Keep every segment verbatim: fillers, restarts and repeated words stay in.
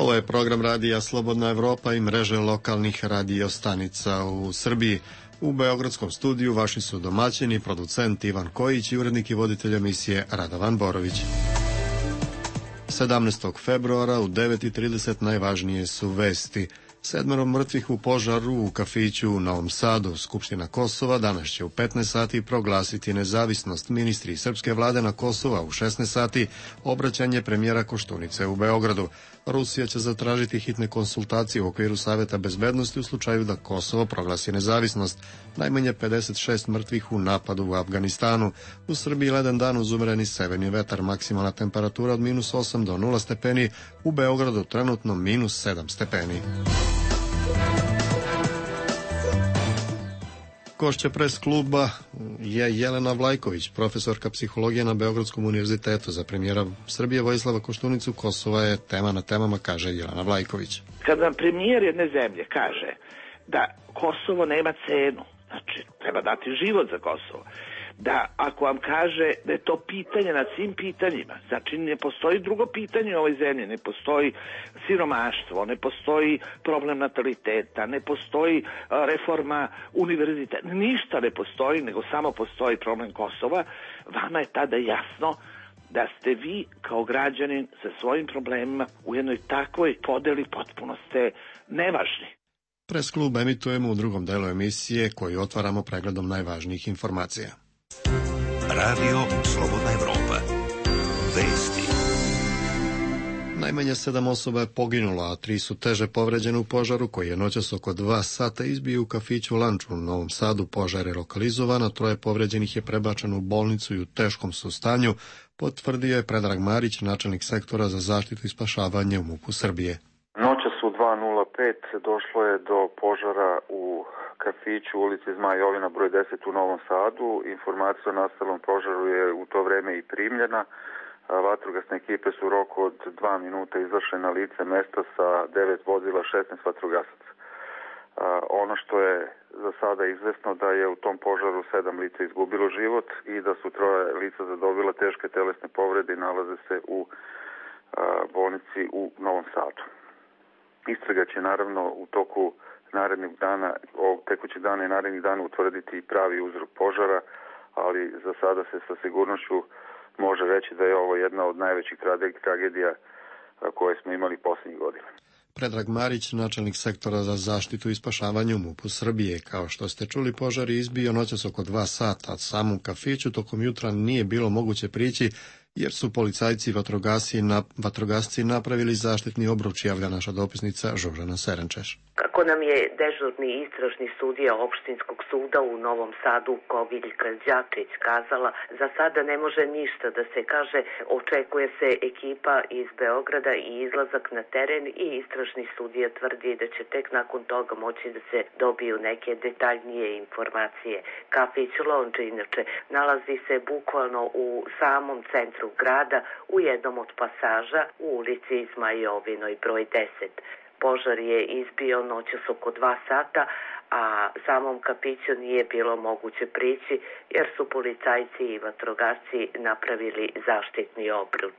Ovo je program radija Slobodna Evropa i mreže lokalnih radio stanica u Srbiji. U beogradskom studiju vaši su domaćini, producent Ivan Kojić i urednik i voditelj emisije Radovan Borović. sedamnaestog februara u devet i trideset najvažnije su vesti. Sedmero mrtvih u požaru u kafiću u Novom Sadu. Skupština Kosova danas će u petnaest sati proglasiti nezavisnost. Ministri srpske vlade na Kosova u šesnaest sati obraćanje premijera Koštunice u Beogradu. Rusija će zatražiti hitne konsultacije u okviru Saveta bezbednosti u slučaju da Kosovo proglasi nezavisnost. Najmanje pedeset šest mrtvih u napadu u Afganistanu. U Srbiji ledan dan uz umereni severni vetar, maksimalna temperatura od minus osam do nula stepeni, u Beogradu trenutno minus sedam stepeni. Gošća pres kluba je Jelena Vlajković, profesorka psihologije na Beogradskom univerzitetu. Za premijera Srbije Vojislava Koštunicu Kosova je tema na temama, kaže Jelena Vlajković. Kad vam premijer jedne zemlje kaže da Kosovo nema cenu, znači treba dati život za Kosovo, da ako vam kaže da je to pitanje nad svim pitanjima, znači ne postoji drugo pitanje u ovoj zemlji, ne postoji siromaštvo, ne postoji problem nataliteta, ne postoji reforma univerziteta, ništa ne postoji, nego samo postoji problem Kosova, vama je tada jasno da ste vi kao građanin sa svojim problemima u jednoj takvoj podeli potpuno ste nevažni. Pres klub emitujemo u drugom delu emisije koju otvaramo pregledom najvažnijih informacija. Radio Slobodna Evropa. Vesti. Najmanje sedam osoba je poginulo, a tri su teže povređene u požaru koji je noćas oko dva sata izbio u kafiću Lanč u Novom Sadu. Požar je lokalizovan, a troje povređenih je prebačeno u bolnicu i u teškom su stanju, potvrdio je Predrag Marić, načelnik sektora za zaštitu i spašavanje u MUP-u Srbije. Noćas u dva nula pet došlo je do požara u kafiću ulici Zmaj Jovina broj deset u Novom Sadu. Informacija o nastalom požaru je u to vreme i primljena. Vatrogasne ekipe su u roku od dva minuta izašle na lice mesta sa devet vozila, šesnaest vatrogasaca. Ono što je za sada izvesno da je u tom požaru sedam lica izgubilo život i da su troje lica zadobila teške telesne povrede i nalaze se u bolnici u Novom Sadu. Istraga će naravno u toku narednih dana, tekućih dana i narednih dana utvrditi pravi uzrok požara, ali za sada se sa sigurnošću može reći da je ovo jedna od najvećih tragedija koje smo imali posljednjih godina. Predrag Marić, načelnik sektora za zaštitu i spašavanje u MUP-u Srbije. Kao što ste čuli, požar je izbio noćas oko dva sata. Od samom kafiću tokom jutra nije bilo moguće prići, jer su policajci i vatrogasci, na, vatrogasci napravili zaštitni obruč, javlja naša dopisnica Žožana Serenčeš. Kako nam je dežurni istražni sudija opštinskog suda u Novom Sadu Koviljka Đačić kazala, za sada ne može ništa da se kaže, očekuje se ekipa iz Beograda i izlazak na teren i istražni sudija tvrdi da će tek nakon toga moći da se dobiju neke detaljnije informacije. Kafić Lonč inače nalazi se bukvalno u samom centru grada, u jednom od pasaža u ulici Zmajovinoj broj deset. Požar je izbio noćas oko dva sata, a samom kafiću nije bilo moguće prići jer su policajci i vatrogasci napravili zaštitni obruč.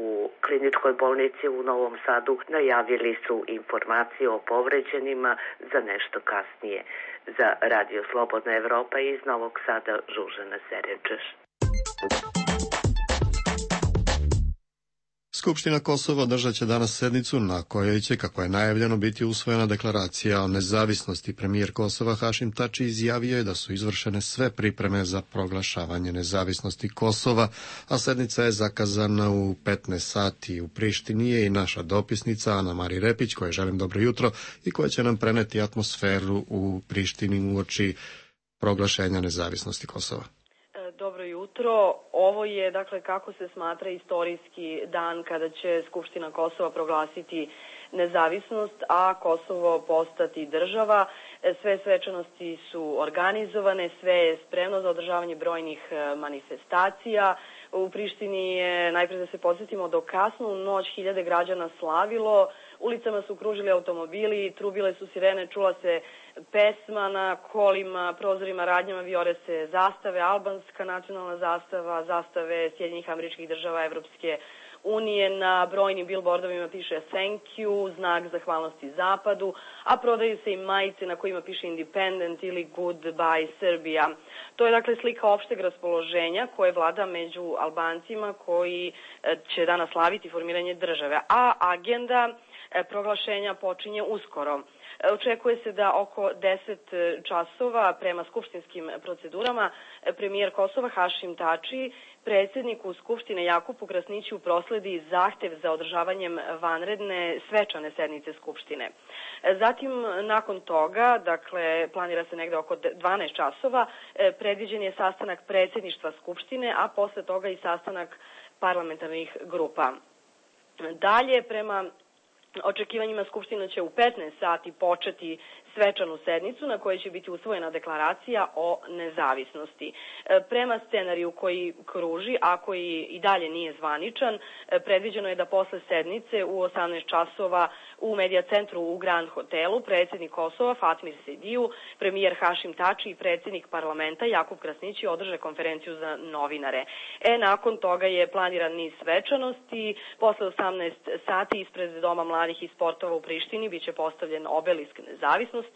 U kliničkoj bolnici u Novom Sadu najavili su informacije o povređenima za nešto kasnije. Za Radio Slobodna Evropa iz Novog Sada Žužana Serenčeš. Skupština Kosova održat će danas sednicu na kojoj će, kako je najavljeno, biti usvojena deklaracija o nezavisnosti. Premijer Kosova Hašim Tači izjavio je da su izvršene sve pripreme za proglašavanje nezavisnosti Kosova, a sednica je zakazana u petnaest sati. U Prištini je i naša dopisnica Ana Mari Repić, kojoj želim dobro jutro i koja će nam preneti atmosferu u Prištini uoči proglašenja nezavisnosti Kosova. Dobro jutro. Ovo je, dakle, kako se smatra istorijski dan kada će Skupština Kosova proglasiti nezavisnost, a Kosovo postati država. Sve svečanosti su organizovane, sve je spremno za održavanje brojnih manifestacija. U Prištini je, najprej da se podsjetimo, do kasnu noć hiljade građana slavilo, ulicama su kružili automobili, trubile su sirene, čula se pesma na kolima, prozorima, radnjama vijore se zastave, albanska nacionalna zastava, zastave Sjedinjenih Američkih Država, Evropske unije na brojnim billboardovima piše thank you, znak zahvalnosti Zapadu, a prodaju se i majice na kojima piše independent ili goodbye Srbija. To je dakle slika opšteg raspoloženja koje vlada među Albancima koji će danas slaviti formiranje države, a agenda proglašenja počinje uskoro. Očekuje se da oko deset časova prema skupštinskim procedurama premijer Kosova Hašim Tači predsjedniku Skupštine Jakupu Krasniću prosledi zahtev za održavanjem vanredne svečane sednice Skupštine. Zatim, nakon toga, dakle, planira se negde oko dvanaest časova, predviđen je sastanak predsjedništva Skupštine, a posle toga i sastanak parlamentarnih grupa. Dalje, prema očekivanjima Skupština će u petnaest sati početi svečanu sednicu na kojoj će biti usvojena deklaracija o nezavisnosti. Prema scenariju koji kruži, a koji i dalje nije zvaničan, predviđeno je da posle sednice u osamnaest časova u Medija centru u Grand hotelu predsjednik Kosova Fatmir Sediju, premijer Hašim Tači i predsjednik parlamenta Jakub Krasnići održe konferenciju za novinare. E, nakon toga je planiran niz svečanosti. Posle osamnaest sati ispred Doma mladih i sportova u Prištini biće postavljen obelisk nezavisnosti.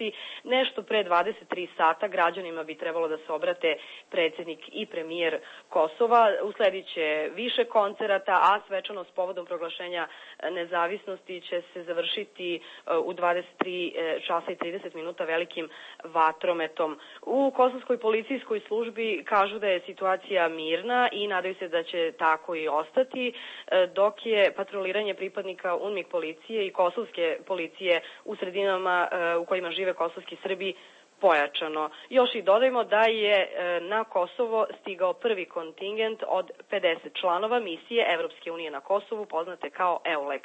Nešto pre dvadeset tri sata građanima bi trebalo da se obrate predsjednik i premijer Kosova. Uslediće više koncerata, a svečanost povodom proglašenja nezavisnosti će se završiti u dvadeset tri časa i trideset minuta velikim vatrometom. U kosovskoj policijskoj službi kažu da je situacija mirna i nadaju se da će tako i ostati, dok je patroliranje pripadnika UNMIK policije i kosovske policije u sredinama u kojima žive kosovski Srbi pojačano. Još i dodajmo da je na Kosovo stigao prvi kontingent od pedeset članova misije Evropske unije na Kosovu, poznate kao EULEX.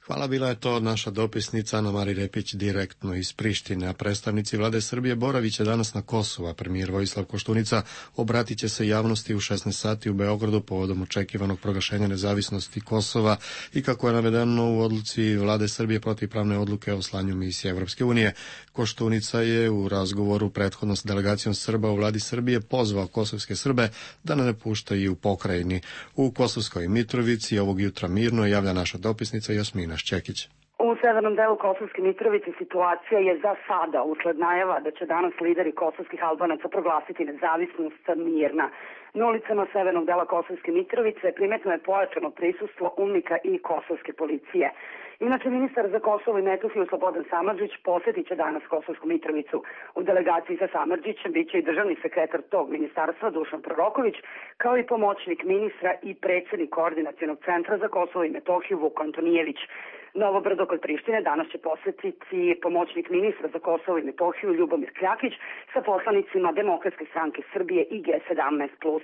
Hvala, bila je to naša dopisnica Ana Mari Repić direktno iz Prištine, a predstavnici vlade Srbije boravit će danas na Kosovu, a premijer Vojislav Koštunica obratit će se javnosti u šesnaest sati u Beogradu povodom očekivanog proglašenja nezavisnosti Kosova i kako je navedeno u odluci vlade Srbije protivpravne odluke o slanju misije Evropske unije. Koštunica je u razgovoru prethodno s delegacijom Srba u vladi Srbije pozvao kosovske Srbe da ne napuštaju u pokrajini. U Kosovskoj Mitrovici ovog jutra mirno javlja naša dopisnica Jasmina Šćekić. U severnom delu Kosovske Mitrovice situacija je za sada, usled najava da će danas lideri kosovskih Albanaca proglasiti nezavisnost, mirna. Na ulicama severnog dela Kosovske Mitrovice primetno je pojačano prisustvo UNMIK-a i kosovske policije. Inače, ministar za Kosovo i Metohiju Slobodan Samardžić posjetit će danas Kosovsku Mitrovicu. U delegaciji sa Samardžićem biće i državni sekretar tog ministarstva Dušan Proroković, kao i pomoćnik ministra i predsjednik Koordinacionog centra za Kosovo i Metohiju Vuk Antonijević. Novo Brdo kod Prištine danas će posjetiti pomoćnik ministra za Kosovo i Metohiju Ljubomir Kljakić sa poslanicima Demokratske stranke Srbije i G sedamnaest plus.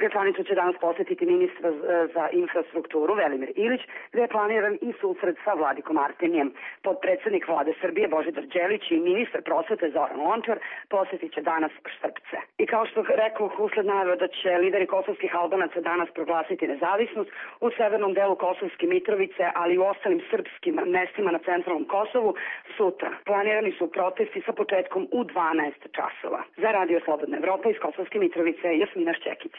Gračanicu će danas posjetiti ministra za infrastrukturu Velimir Ilić, gdje je planiran i susret sa Vladikom Artemijem. Podpredsjednik vlade Srbije Božidar Đelić i ministar prosvete Zoran Lončar posjetit će danas Štrpce. I kao što rekao, usled najave da će lideri kosovskih Albanaca danas proglasiti nezavisnost u severnom delu Kosovske Mitrovice, ali i u ostalim srpskim mestima na centralnom Kosovu, sutra planirani su protesti sa početkom u dvanaest časova. Za Radio Slobodna Evropa iz Kosovske Mitrovice, Jasmina Šćekić.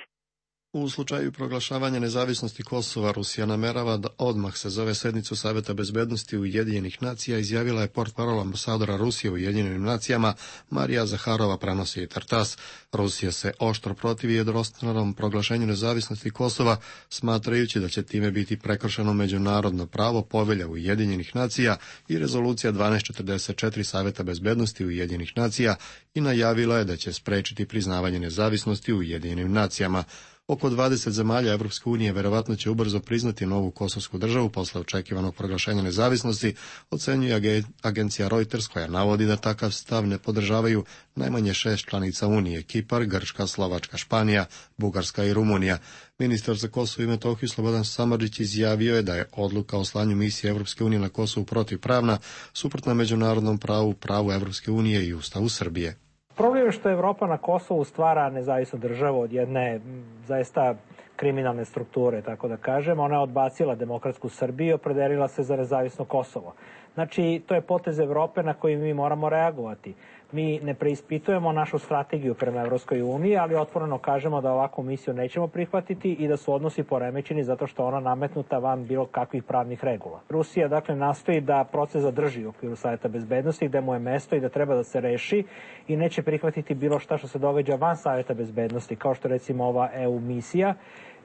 U slučaju proglašavanja nezavisnosti Kosova, Rusija namerava da odmah se zove sednicu Saveta bezbednosti Ujedinjenih nacija, izjavila je portparol ambasadora Rusije u Ujedinjenim nacijama Marija Zaharova, prenosi i Tartas. Rusija se oštro protivi jednostranom proglašenju nezavisnosti Kosova, smatrajući da će time biti prekršeno međunarodno pravo, povelja Ujedinjenih nacija i rezolucija dvanaest četrdeset četiri Saveta bezbednosti Ujedinjenih nacija i najavila je da će sprečiti priznavanje nezavisnosti u Ujedinjenim nacijama. Oko dvadeset zemalja Evropske unije verovatno će ubrzo priznati novu kosovsku državu posle očekivanog proglašenja nezavisnosti, ocenjuje agencija Reuters, koja navodi da takav stav ne podržavaju najmanje šest članica Unije: Kipar, Grčka, Slovačka, Španija, Bugarska i Rumunija. Ministar za Kosovo i Metohiju Slobodan Samardžić izjavio je da je odluka o slanju misije Evropske unije na Kosovu protivpravna, suprotna međunarodnom pravu, pravu Evropske unije i Ustavu Srbije. Problem je što Evropa na Kosovu stvara nezavisnu državu od jedne zaista kriminalne strukture, tako da kažem. Ona je odbacila demokratsku Srbiju i opredelila se za nezavisno Kosovo. Znači, to je potez Evrope na koji mi moramo reagovati. Mi ne preispitujemo našu strategiju prema Evropskoj uniji, ali otvoreno kažemo da ovakvu misiju nećemo prihvatiti i da su odnosi poremećeni zato što ona nametnuta van bilo kakvih pravnih regula. Rusija dakle nastoji da proces zadrži u okviru Saveta bezbednosti gde mu je mesto i da treba da se reši i neće prihvatiti bilo šta što se događa van Saveta bezbednosti, kao što recimo ova E U misija.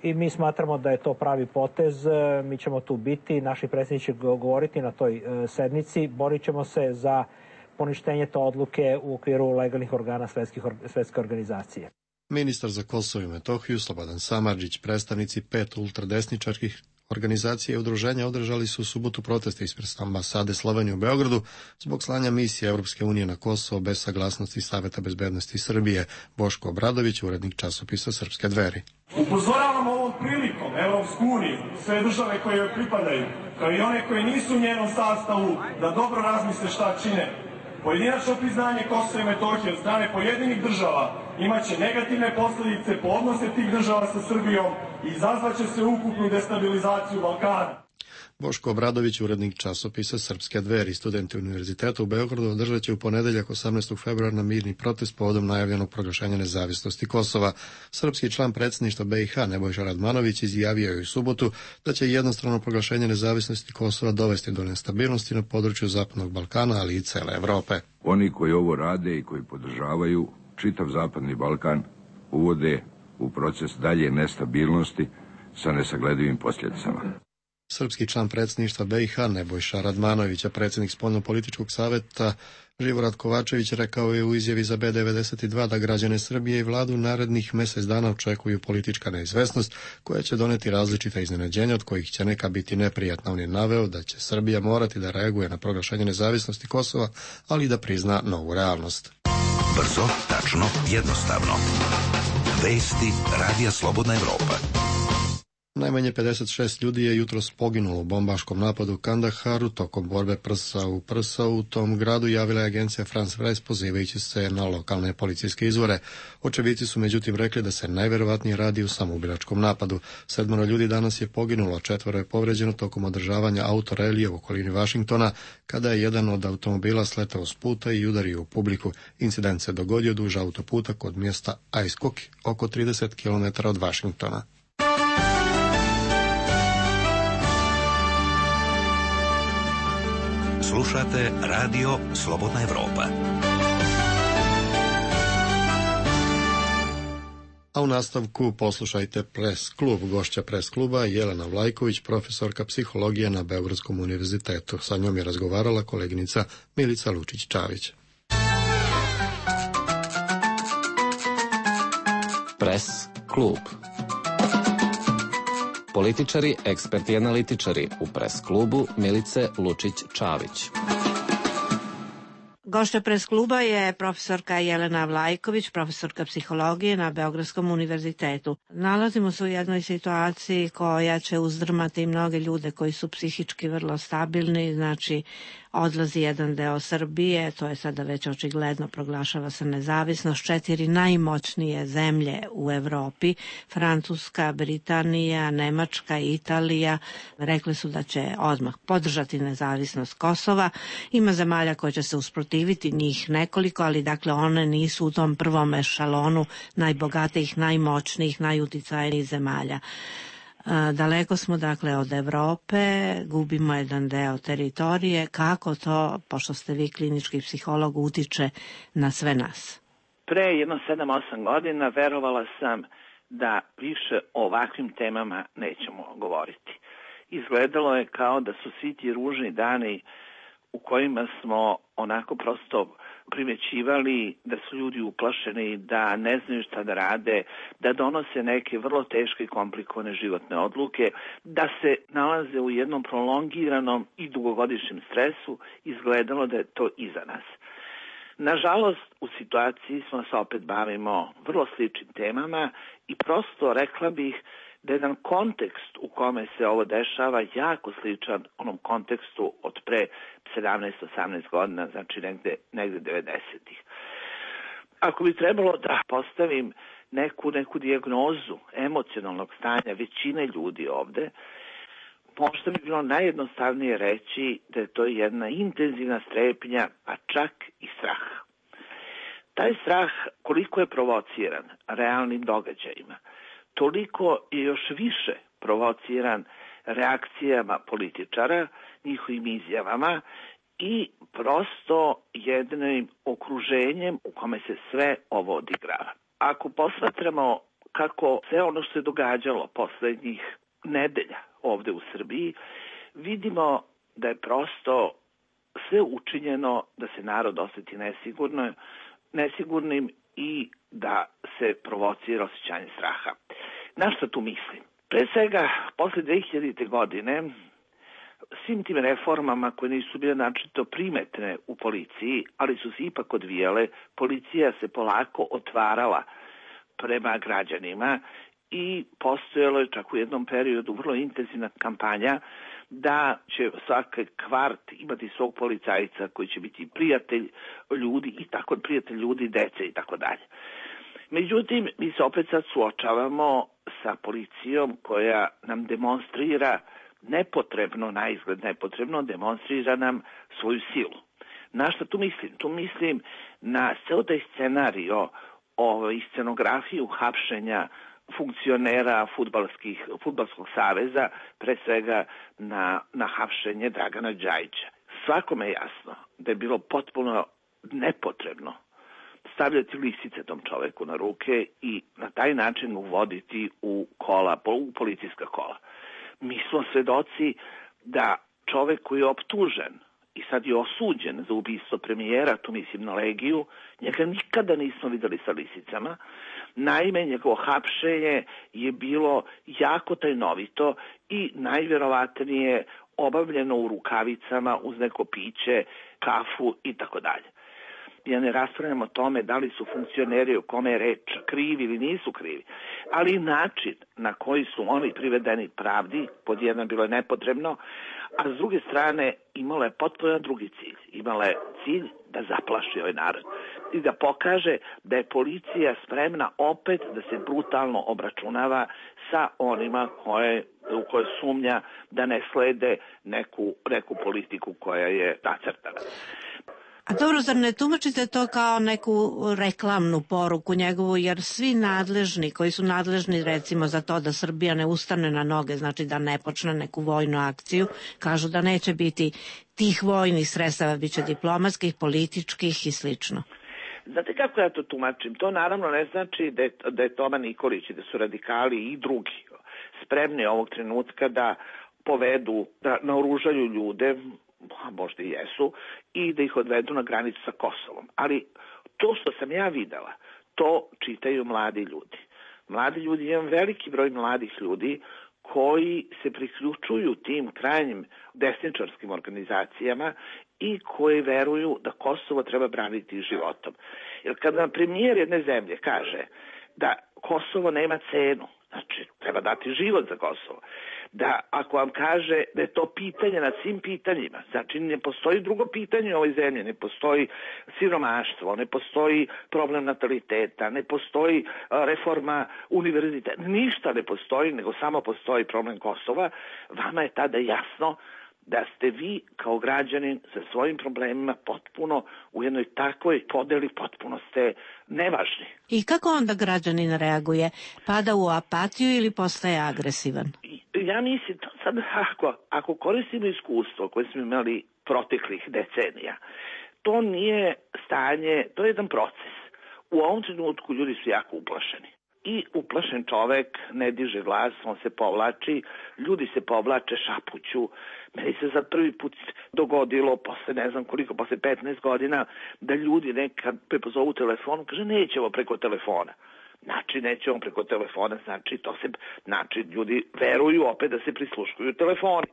I mi smatramo da je to pravi potez, mi ćemo tu biti, naši predsjednici će govoriti na toj sednici, borit ćemo se za poništenje te odluke u okviru legalnih organa svetske organizacije. Ministar za Kosovo i Metohiju Slobodan Samardžić, predstavnici pet ultradesničarskih organizacija i udruženja održali su u subotu proteste ispred ambasade Slovenije u Beogradu zbog slanja misije Evropske unije na Kosovo bez saglasnosti Saveta bezbednosti Srbije. Boško Obradović, urednik časopisa Srpske dveri. Upozoravamo ovom prilikom Evropsku uniju, sve države koje joj pripadaju, kao i one koje nisu u njenom sastavu, da dobro razmisle šta čine. Pojedinačno priznanje Kosova i Metohije od strane pojedinih država imaće negativne posljedice po odnose tih država sa Srbijom i izazvaće se ukupnu destabilizaciju Balkana. Boško Obradović, urednik časopisa Srpske dveri, studenti Univerziteta u Beogradu održat će u ponedeljak osamnaestog februara mirni protest povodom najavljenog proglašenja nezavisnosti Kosova. Srpski član predsjedništva B i H Nebojša Radmanović izjavio je u subotu da će jednostrano proglašenje nezavisnosti Kosova dovesti do nestabilnosti na području Zapadnog Balkana, ali i cele Evrope. Oni koji ovo rade i koji podržavaju čitav Zapadni Balkan uvode u proces dalje nestabilnosti sa nesagledivim posljedicama. Srpski član predsjedništva B i H Nebojša Radmanović, a predsjednik spoljnopolitičkog saveta Živorad Kovačević rekao je u izjavi za B devedeset dva da građane Srbije i vladu narednih mjesec dana očekuju politička neizvesnost koja će doneti različita iznenađenja od kojih će neka biti neprijatna. On je naveo da će Srbija morati da reaguje na proglašenje nezavisnosti Kosova, ali i da prizna novu realnost. Brzo, tačno, jednostavno. Vesti Radija Slobodna Evropa. Najmanje pedeset šest ljudi je jutros poginulo u bombaškom napadu u Kandaharu tokom borbe prsa u prsa u tom gradu, javila je agencija France Press pozivajući se na lokalne policijske izvore. Očevici su međutim rekli da se najverovatnije radi u samoubilačkom napadu. Sedmoro ljudi danas je poginulo, a četvoro je povređeno tokom održavanja autorelija u okolini Vašingtona, kada je jedan od automobila sletao s puta i udario u publiku. Incident se dogodio duž autoputa kod mjesta Ice Cook, oko trideset kilometara od Vašingtona. Slušate Radio Slobodna Evropa. A u nastavku poslušajte Pres klub. Gošća Pres kluba Jelena Vlajković, profesorka psihologije na Beogradskom univerzitetu. Sa njom je razgovarala koleginica Milica Lučić-Čavić. Pres klub. Političari, eksperti i analitičari u Pres klubu Milice Lučić-Čavić. Gošća Pres kluba je profesorka Jelena Vlajković, profesorka psihologije na Beogradskom univerzitetu. Nalazimo se u jednoj situaciji koja će uzdrmati mnoge ljude koji su psihički vrlo stabilni, znači odlazi jedan deo Srbije, to je sada već očigledno, proglašava se nezavisnost. Četiri najmoćnije zemlje u Evropi, Francuska, Britanija, Nemačka i Italija, rekli su da će odmah podržati nezavisnost Kosova. Ima zemalja koje će se usprotiviti, njih nekoliko, ali dakle one nisu u tom prvom ešalonu najbogatijih, najmoćnijih, najuticajnijih zemalja. Daleko smo dakle od Evrope, gubimo jedan deo teritorije. Kako to, pošto ste vi klinički psiholog, utiče na sve nas? Pre jedno sedam osam godina verovala sam da više o ovakvim temama nećemo govoriti. Izgledalo je kao da su svi ti ružni dani u kojima smo onako prosto primećivali da su ljudi uplašeni, da ne znaju šta da rade, da donose neke vrlo teške i komplikovane životne odluke, da se nalaze u jednom prolongiranom i dugogodišnjem stresu, izgledalo da je to iza nas. Nažalost, u situaciji smo se opet bavimo vrlo sličnim temama i prosto rekla bih da je jedan kontekst u kome se ovo dešava jako sličan onom kontekstu od pre sedamnaest osamnaest godina, znači negde, negde devedesetih. Ako bi trebalo da postavim neku, neku dijagnozu emocionalnog stanja većine ljudi ovde, možda bi bilo najjednostavnije reći da je to jedna intenzivna strepnja, a čak i strah. Taj strah koliko je provociran realnim događajima, toliko je još više provociran reakcijama političara, njihovim izjavama i prosto jednim okruženjem u kome se sve ovo odigrava. Ako posmatramo kako sve ono što se događalo poslednjih nedelja ovde u Srbiji, vidimo da je prosto sve učinjeno da se narod osjeti nesigurno, nesigurnim i da se provocira osjećanje straha. Na što tu mislim? Pre svega, posle dve hiljadite. godine, svim tim reformama koje nisu bile načito primetne u policiji, ali su se ipak odvijale, policija se polako otvarala prema građanima i postojalo je čak u jednom periodu vrlo intenzivna kampanja da će svaki kvart imati svog policajca koji će biti prijatelj ljudi i tako prijatelj ljudi, dece i tako dalje. Međutim, mi se opet sad suočavamo sa policijom koja nam demonstrira nepotrebno, na izgled nepotrebno, demonstrira nam svoju silu. Na što tu mislim? Tu mislim na ceo taj scenario o, i scenografiju hapšenja funkcionera fudbalskih, fudbalskog saveza, pre svega na, na hapšenje Dragana Đajića. Svakome je jasno da je bilo potpuno nepotrebno stavljati lisice tom čoveku na ruke i na taj način uvoditi u kola, u policijska kola. Mi smo svedoci da čovek koji je optužen i sad je osuđen za ubistvo premijera, tu mislim na Legiju, njega nikada nismo videli sa lisicama. Naime, njegovo hapšenje je bilo jako tajnovito i najvjerovatnije obavljeno u rukavicama uz neko piće, kafu i tako dalje. Ja ne raspravljam o tome da li su funkcioneri o kome je reč krivi ili nisu krivi, ali način na koji su oni privedeni pravdi, pod jedan bilo je nepotrebno, a s druge strane imala je potpuno drugi cilj. Imala je cilj da zaplaši ovaj narod i da pokaže da je policija spremna opet da se brutalno obračunava sa onima koje, u koje sumnja da ne slede neku, neku politiku koja je nacrtana. A dobro, zar ne tumačite to kao neku reklamnu poruku njegovu, jer svi nadležni, koji su nadležni recimo za to da Srbija ne ustane na noge, znači da ne počne neku vojnu akciju, kažu da neće biti tih vojnih sredstava, bit će diplomatskih, političkih i slično. Znate kako ja to tumačim? To naravno ne znači da je, da je Toma Nikolić i da su radikali i drugi spremni ovog trenutka da povedu, da naoružaju ljude, a možda i jesu, i da ih odvedu na granicu sa Kosovom. Ali to što sam ja videla, to čitaju mladi ljudi. Mladi ljudi, jedan veliki broj mladih ljudi koji se priključuju tim krajnjim desničarskim organizacijama i koji veruju da Kosovo treba braniti životom. Jer kad nam premijer jedne zemlje kaže da Kosovo nema cenu, znači treba dati život za Kosovo, da ako vam kaže da je to pitanje nad svim pitanjima, znači ne postoji drugo pitanje u ovoj zemlji, ne postoji siromaštvo, ne postoji problem nataliteta, ne postoji reforma univerziteta, ništa ne postoji, nego samo postoji problem Kosova, vama je tada jasno da ste vi kao građanin sa svojim problemima potpuno u jednoj takvoj podeli, potpuno ste nevažni. I kako onda građanin reaguje? Pada u apatiju ili postaje agresivan? Ja mislim, to sad, ako, ako koristimo iskustvo koje smo imali proteklih decenija, to nije stanje, to je jedan proces. U ovom trenutku ljudi su jako uplašeni. I uplašen čovek ne diže glas, on se povlači, ljudi se povlače, šapuću. Meni se za prvi put dogodilo, posle ne znam koliko, posle petnaest godina, da ljudi nekad prepozovu telefon, kaže nećemo preko telefona. Znači nećemo preko telefona, znači to se, znači ljudi veruju opet da se prisluškuju telefoni.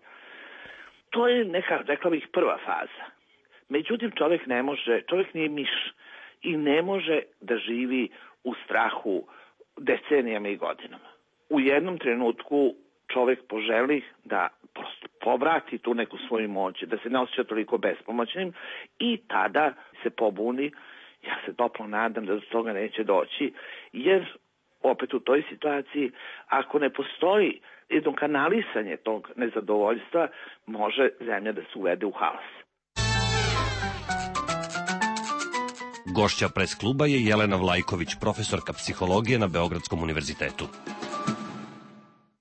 To je neka, rekla bih, prva faza. Međutim, čovjek ne može, čovjek nije miš i ne može da živi u strahu decenijama i godinama. U jednom trenutku čovjek poželi da prosto povrati tu neku svoju moć, da se ne osjeća toliko bespomoćnim i tada se pobuni. Ja se toplo nadam da do toga neće doći, jer opet u toj situaciji, ako ne postoji jedno kanalisanje tog nezadovoljstva, može zemlja da se uvede u haos. Gošća pres kluba je Jelena Vlajković, profesorka psihologije na Beogradskom univerzitetu.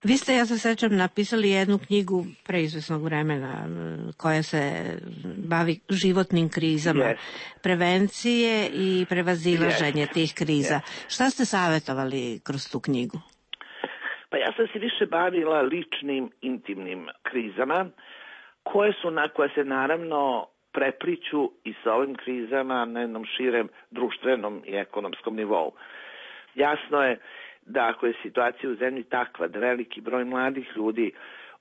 Vi ste, ja se sećam, napisali jednu knjigu pre izvesnog vremena koja se bavi životnim krizama, yes. prevencije i prevazilaženje yes. tih kriza. Yes. Šta ste savjetovali kroz tu knjigu? Pa ja sam se više bavila ličnim, intimnim krizama, koje su na koje se naravno prepliću i sa ovim krizama na jednom širem društvenom i ekonomskom nivou. Jasno je da ako je situacija u zemlji takva da veliki broj mladih ljudi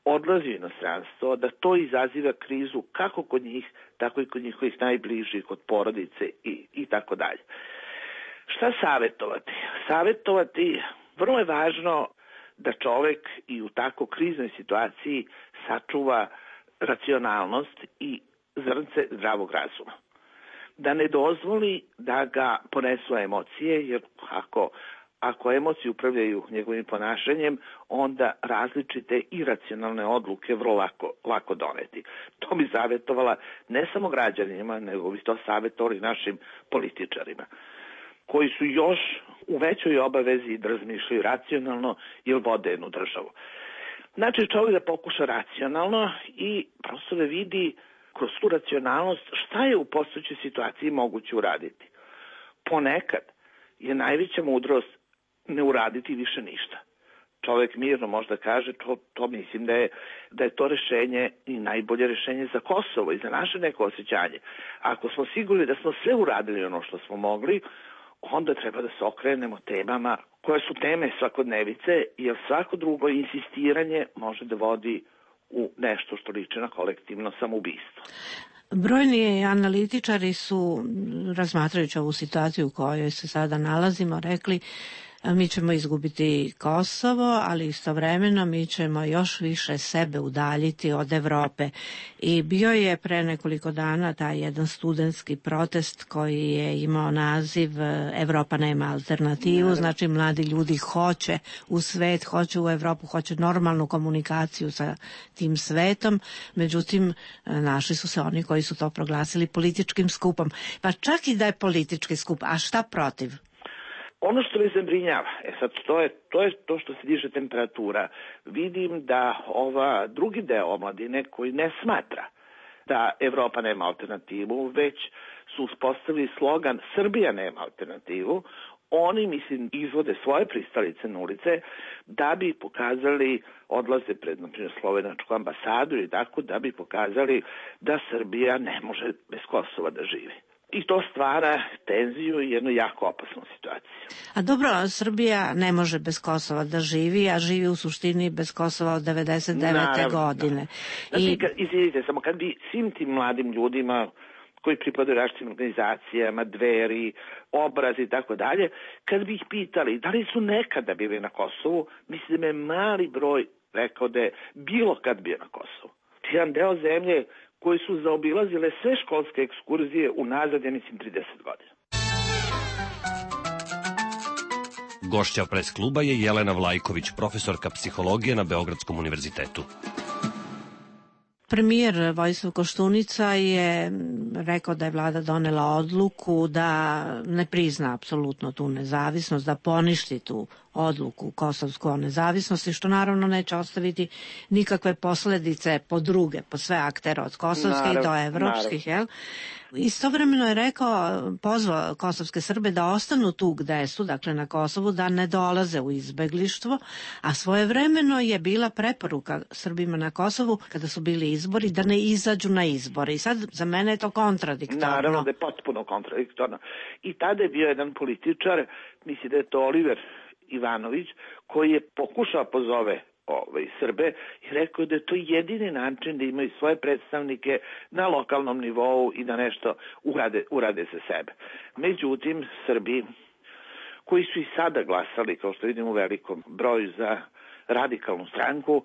odlazi u inostranstvo, da to izaziva krizu kako kod njih, tako i kod njihovih najbližih, kod porodice i, i tako dalje. Šta savjetovati? Savjetovati, vrlo je važno da čovek i u tako kriznoj situaciji sačuva racionalnost i zrnce zdravog razuma. Da ne dozvoli da ga ponesu emocije, jer ako Ako emocije upravljaju njegovim ponašanjem, onda različite iracionalne odluke vrlo lako, lako doneti. To bi savjetovala ne samo građanima, nego bi to savjetovali našim političarima, koji su još u većoj obavezi da razmišljaju racionalno jer vode jednu državu. Znači čovjek da pokuša racionalno i prosto da vidi kroz tu racionalnost šta je u postojećoj situaciji moguće uraditi. Ponekad je najveća mudrost ne uraditi više ništa. Čovjek mirno možda kaže, to, to mislim da je, da je to rešenje i najbolje rešenje za Kosovo i za naše neko osjećanje. Ako smo sigurni da smo sve uradili ono što smo mogli, onda treba da se okrenemo temama koje su teme svakodnevice, jer svako drugo insistiranje može da vodi u nešto što liči na kolektivno samoubistvo. Brojni analitičari su, razmatrajući ovu situaciju u kojoj se sada nalazimo, rekli mi ćemo izgubiti Kosovo, ali istovremeno mi ćemo još više sebe udaljiti od Evrope. I bio je pre nekoliko dana taj jedan studentski protest koji je imao naziv Evropa nema alternativu, znači mladi ljudi hoće u svet, hoće u Evropu, hoće normalnu komunikaciju sa tim svetom, međutim našli su se oni koji su to proglasili političkim skupom. Pa čak i da je politički skup, a šta protiv? Ono što me zabrinjava, e sad to je, to je to što se diže temperatura. Vidim da ova drugi deo omladine koji ne smatra da Evropa nema alternativu, već su uspostavili slogan Srbija nema alternativu, oni, mislim, izvode svoje pristalice na ulice da bi pokazali, odlaze pred, na primjer, slovenačku ambasadu i tako, da bi pokazali da Srbija ne može bez Kosova da živi. I to stvara tenziju i jednu jako opasnu situaciju. A dobro, Srbija ne može bez Kosova da živi, a živi u suštini bez Kosova od devedeset devete godine. Znači, I... kad, izvidite, samo kad bi svim tim mladim ljudima koji pripadaju različitim organizacijama, Dveri, Obraz i tako dalje, kad bi ih pitali da li su nekada bili na Kosovu, mislim da je mali broj rekao da je bilo kad bio na Kosovu. Jedan deo zemlje koji su zaobilazile sve školske ekskurzije unazad, ja mislim, trideset godina. Gošća pres kluba je Jelena Vlajković, profesorka psihologije na Beogradskom univerzitetu. Premijer Vojislav Koštunica je rekao da je vlada donela odluku da ne prizna apsolutno tu nezavisnost, da poništi tu odluku kosovsku o nezavisnosti, što naravno neće ostaviti nikakve posledice po druge, po sve aktere od kosovskih do evropskih, jel? Istovremeno je rekao, pozvao kosovske Srbe da ostanu tu gde su, dakle na Kosovu, da ne dolaze u izbeglištvo, a svojevremeno je bila preporuka Srbima na Kosovu, kada su bili izbori, da ne izađu na izbore. I sad za mene je to kontradiktorno. Naravno da je potpuno kontradiktorno. I tada je bio jedan političar, misli da je to Oliver Ivanović, koji je pokušao pozove Ove, Srbe i rekao da je to jedini način da imaju svoje predstavnike na lokalnom nivou i da nešto urade, urade za sebe. Međutim, Srbi koji su i sada glasali, kao što vidimo u velikom broju, za radikalnu stranku,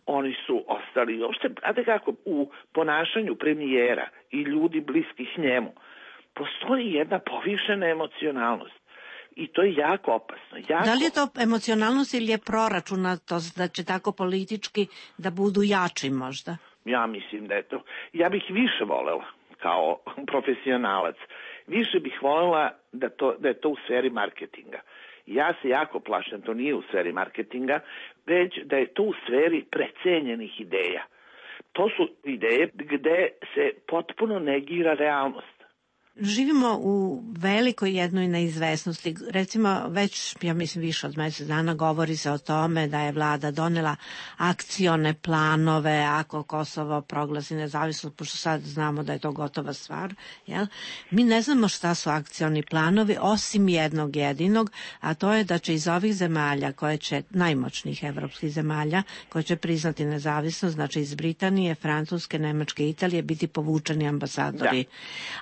oni su ostali, uopšte, znate kako, u ponašanju premijera i ljudi bliskih njemu postoji jedna povišena emocionalnost. I to je jako opasno. Jako... Da li je to emocionalnost ili je proračunatost da će tako politički da budu jači možda? Ja mislim da je to. Ja bih više volela kao profesionalac. Više bih voljela da, to, da je to u sferi marketinga. Ja se jako plašim, to nije u sferi marketinga, već da je to u sferi precenjenih ideja. To su ideje gde se potpuno negira realnost. Živimo u velikoj jednoj neizvesnosti. Recimo, već, ja mislim, više od mesec dana govori se o tome da je vlada donela akcione planove ako Kosovo proglasi nezavisnost, pošto sad znamo da je to gotova stvar. Jel? Mi ne znamo šta su akcioni planovi, osim jednog jedinog, a to je da će iz ovih zemalja, koje će, najmoćnijih evropskih zemalja, koje će priznati nezavisnost, znači iz Britanije, Francuske, Nemačke, Italije, biti povučeni ambasadori. Da.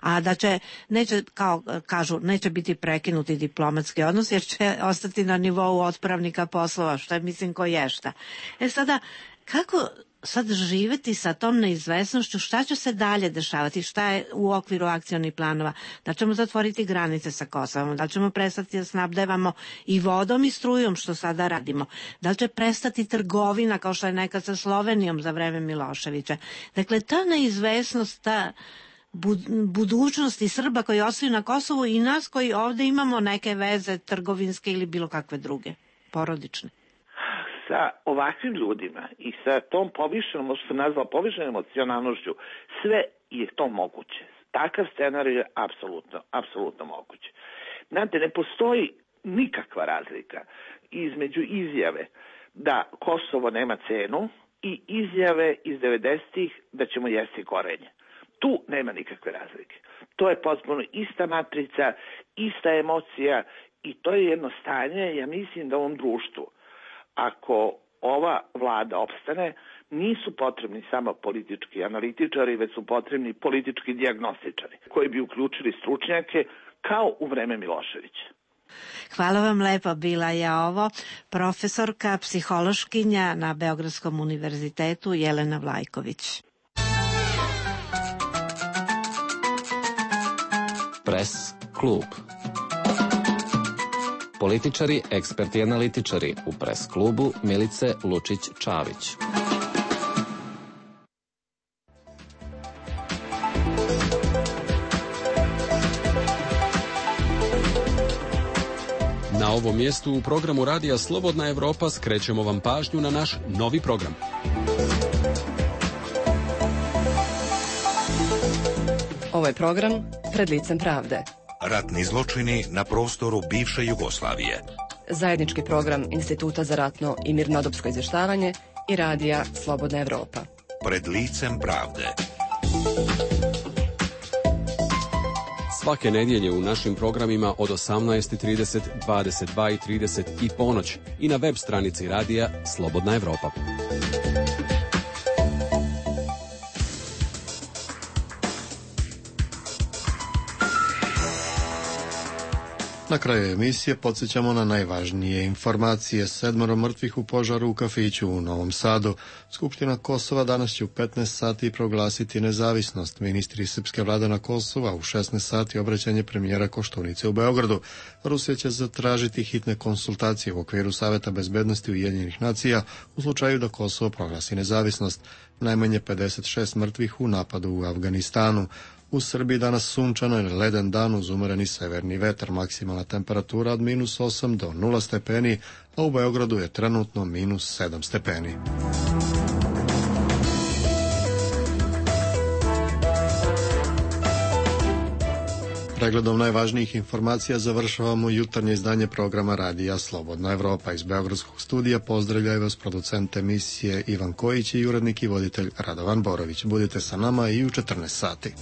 A da će neće, kao kažu, neće biti prekinuti diplomatski odnos jer će ostati na nivou otpravnika poslova, što je mislim ko ješta. E sada, kako sad živeti sa tom neizvesnošću, šta će se dalje dešavati, šta je u okviru akcionih planova, da ćemo zatvoriti granice sa Kosovom, da ćemo prestati da snabdevamo i vodom i strujom, što sada radimo, da će prestati trgovina kao što je nekad sa Slovenijom za vreme Miloševića. Dakle, ta neizvesnost, ta budućnosti Srba koji ostaju na Kosovu i nas koji ovde imamo neke veze trgovinske ili bilo kakve druge, porodične. Sa ovakvim ljudima i sa tom povišenom, što se nazvala povišenom emocionalnošću, sve je to moguće. Takav scenarij je apsolutno, apsolutno moguće. Znate, ne postoji nikakva razlika između izjave da Kosovo nema cenu i izjave iz devedesetih da ćemo jesti korenje. Tu nema nikakve razlike. To je potpuno ista matrica, ista emocija i to je jedno stanje, ja mislim da u ovom društvu, ako ova vlada opstane, nisu potrebni samo politički analitičari, već su potrebni politički dijagnostičari, koji bi uključili stručnjake kao u vreme Miloševića. Hvala vam lepo, bila je ovo profesorka, psihološkinja na Beogradskom univerzitetu Jelena Vlajković. Pres klub. Političari, eksperti i analitičari u Pres klubu Milice Lučić-Čavić. Na ovom mjestu u programu Radija Slobodna Evropa skrećemo vam pažnju na naš novi program. Ovo je program Pred licem pravde. Ratni zločini na prostoru bivše Jugoslavije. Zajednički program Instituta za ratno i mirnodopsko izvještavanje i Radija Slobodna Evropa. Pred licem pravde. Svake nedjelje u našim programima od osamnaest i trideset, dvadeset dva i trideset i ponoć i na web stranici Radija Slobodna Evropa. Na kraju emisije podsjećamo na najvažnije informacije. Sedmoro mrtvih u požaru u kafiću u Novom Sadu. Skupština Kosova danas će u petnaest sati proglasiti nezavisnost. Ministri srpske vlade na Kosova u šesnaest sati obraćanje premijera Koštunice u Beogradu. Rusija će zatražiti hitne konsultacije u okviru Saveta bezbednosti Ujedinjenih nacija u slučaju da Kosovo proglasi nezavisnost. Najmanje pedeset šest mrtvih u napadu u Afganistanu. U Srbiji danas sunčano i leden dan uz umereni severni vetar, maksimalna temperatura od minus osam do nula stepeni, a u Beogradu je trenutno minus sedam stepeni. Pregledom najvažnijih informacija završavamo jutarnje izdanje programa Radija Slobodna Evropa. Iz Beogradskog studija pozdravljaju vas producent emisije Ivan Kojić i urednik i voditelj Radovan Borović. Budite sa nama i u četrnaest sati.